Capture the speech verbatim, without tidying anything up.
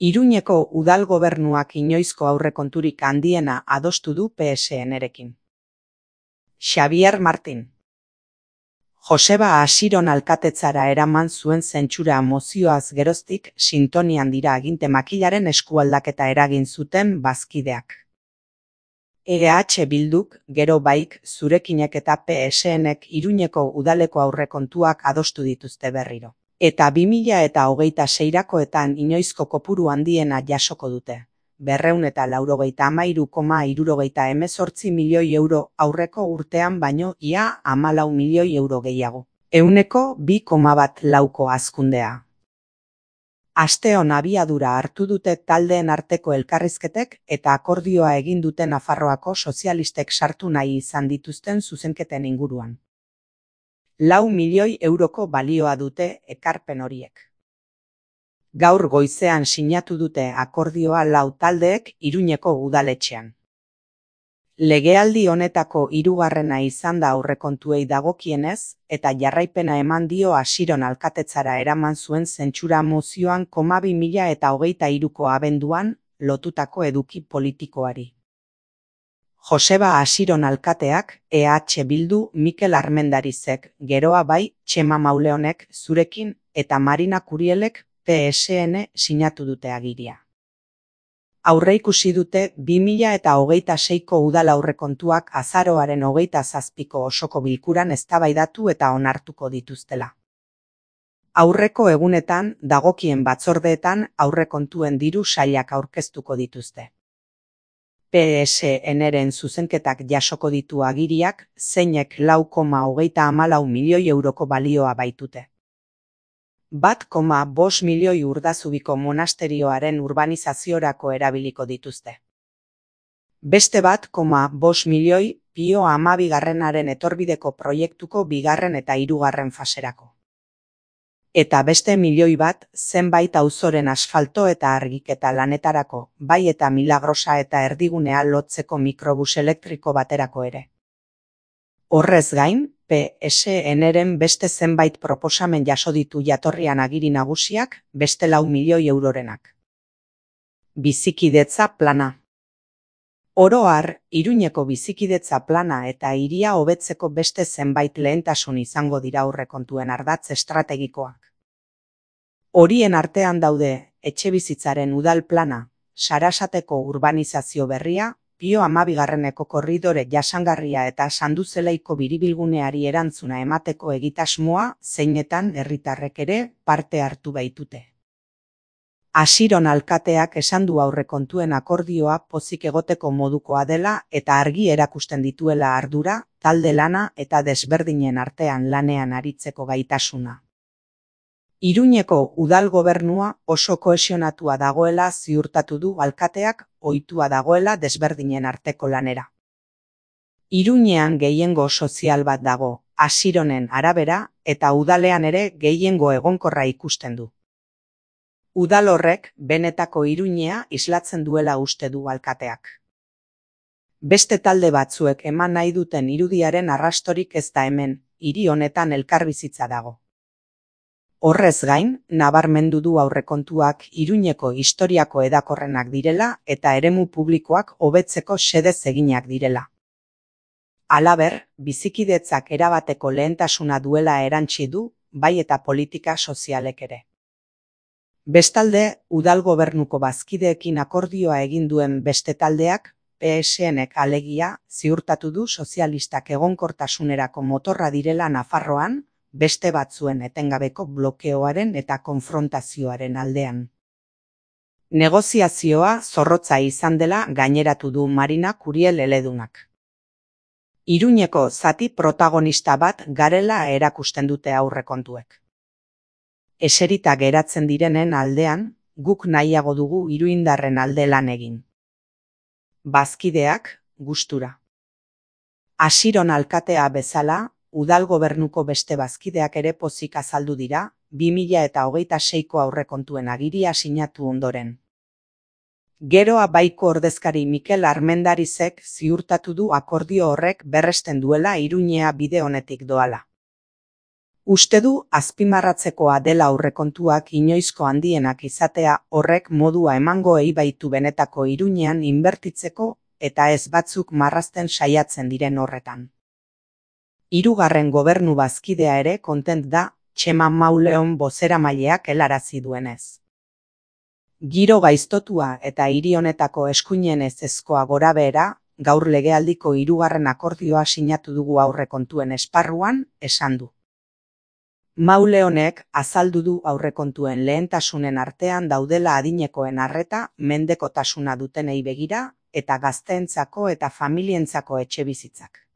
Iruñeko udal gobernuak inoizko aurrekonturik handiena adostu du P S N-rekin. Xabier Martin. Joseba Asiron alkatetzara eraman zuen zentsura mozioaz geroztik sintonian dira aginte makilaren eskualdaketa eragin zuten bazkideak. E H Bilduk, gero baik, zurekinek eta P S N-ek Iruñeko udaleko aurrekontuak adostu dituzte berriro. Eta bi mila eta hogeita seirakoetan inoizko kopuru handiena jasoko dute. Berreun eta laurogeita hamairu koma hirurogeita hemezortzi milioi euro aurreko urtean baino ia hamalau milioi euro gehiago. Ehuneko bi koma bat lauko hazkundea. Asteon abiadura hartu dute taldeen arteko elkarrizketek eta akordioa egin dute Nafarroako sozialistek sartu nahi izan dituzten zuzenketen inguruan. Lau milioi euroko balioa dute ekarpen horiek. Gaur goizean sinatu dute akordioa lau taldeek Iruñeko udaletxean. Legealdi honetako hirugarrena izan da aurrekontuei dagokienez eta jarraipena eman dio Asiron alkatetzara eraman zuen zentsura mozioan koma bi mila eta hogeita hiruko abenduan lotutako eduki politikoari. Joseba Asiron alkateak, E H Bildu Mikel Armendarizek, geroa bai, Txema Mauleonek zurekin eta Marina Kurielek P S N sinatu dute agiria. Aurreikusi dute bi mila eta hogeita seiko udal aurrekontuak azaroaren hogeita zazpiko osoko bilkuran eztabaidatu eta onartuko dituztela. Aurreko egunetan, dagokien batzordeetan aurrekontuen diru sailak aurkeztuko dituzte. P S N-ren zuzenketak jasoko ditu agiriak, zeinek lau koma hogeita hamalau milioi euroko balioa baitute. Bat koma bost milioi Urdazubiko monasterioaren urbanizaziorako erabiliko dituzte. Beste bat koma bost milioi Pio hamabigarrenaren etorbideko proiektuko bigarren eta hirugarren faserako. Eta beste milioi bat zenbait auzoren asfalto eta argiketa lanetarako, bai eta Milagrosa eta erdigunea lotzeko mikrobus elektriko baterako ere. Horrez gain, P S N-ren beste zenbait proposamen jaso ditu jatorrian agiri nagusiak, beste lau milioi eurorenak. Bizikidetza plana. Oro har, Iruñeko bizikidetza plana eta hiria hobetzeko beste zenbait lehentasun izango dira aurrekontuen ardatz estrategikoak. Horien artean daude, etxebizitzaren udal plana, Sarasateko urbanizazio berria, Pio hamabigarreneko korridore jasangarria eta Sanduzeleiko biribilguneari erantzuna emateko egitasmoa, zeinetan herritarrek ere parte hartu baitute. Asiron alkateak esan du aurrekontuen akordioa pozik egoteko modukoa dela eta argi erakusten dituela ardura, talde lana eta desberdinen artean lanean aritzeko gaitasuna. Iruñeko udal gobernua oso kohesionatua dagoela ziurtatu du alkateak, ohitua dagoela desberdinen arteko lanera. Iruñean gehiengo sozial bat dago, Asironen arabera, eta udalean ere gehiengo egonkorra ikusten du. Udal horrek benetako Iruñea islatzen duela uste du alkateak. Beste talde batzuek eman nahi duten irudiaren arrastorik ez da hemen, hiri honetan elkarbizitza dago. Horrez gain, nabarmendu du aurrekontuak Iruñeko historiako hedakorrenak direla eta eremu publikoak hobetzeko xedez eginak direla. Halaber, bizikidetzak erabateko lehentasuna duela erantsi du, bai eta politika sozialek ere. Bestalde, udal gobernuko bazkideekin akordioa egin duen beste taldeak, P S N-ek alegia, ziurtatu du sozialistak egonkortasunerako motorra direla Nafarroan, beste batzuen etengabeko blokeoaren eta konfrontazioaren aldean. Negoziazioa zorrotza izan dela gaineratu du Marina Kuriel eledunak. Iruñeko zati protagonista bat garela erakusten dute aurrekontuek. Eserita geratzen direnen aldean, guk nahiago dugu iruindarren alde lan egin. Bazkideak, gustura. Asiron alkatea bezala, udal gobernuko beste bazkideak ere pozik azaldu dira, bi mila eta hogeita seiko aurrekontuen agiria sinatu ondoren. Geroa baiko ordezkari Mikel Armendarizek ziurtatu du akordio horrek berresten duela Iruñea bide honetik doala. Uste du azpimarratzekoa dela aurrekontuak inoizko handienak izatea horrek modua emangoei baitu benetako iruñean inbertitzeko eta ez batzuk marrazten saiatzen diren horretan. Hirugarren gobernu bazkidea ere kontent da, Txema Mauleon bozeramaileak helarazi duenez. Giro gaiztotua eta hiri honetako eskuinen ezezkoa gorabehera, gaur legealdiko hirugarren akordioa sinatu dugu aurrekontuen esparruan, esan du. Mauleonek azaldu du aurrekontuen lehentasunen artean daudela adinekoen arreta, mendekotasuna dutenei begira, eta gazteentzako eta familientzako etxebizitzak.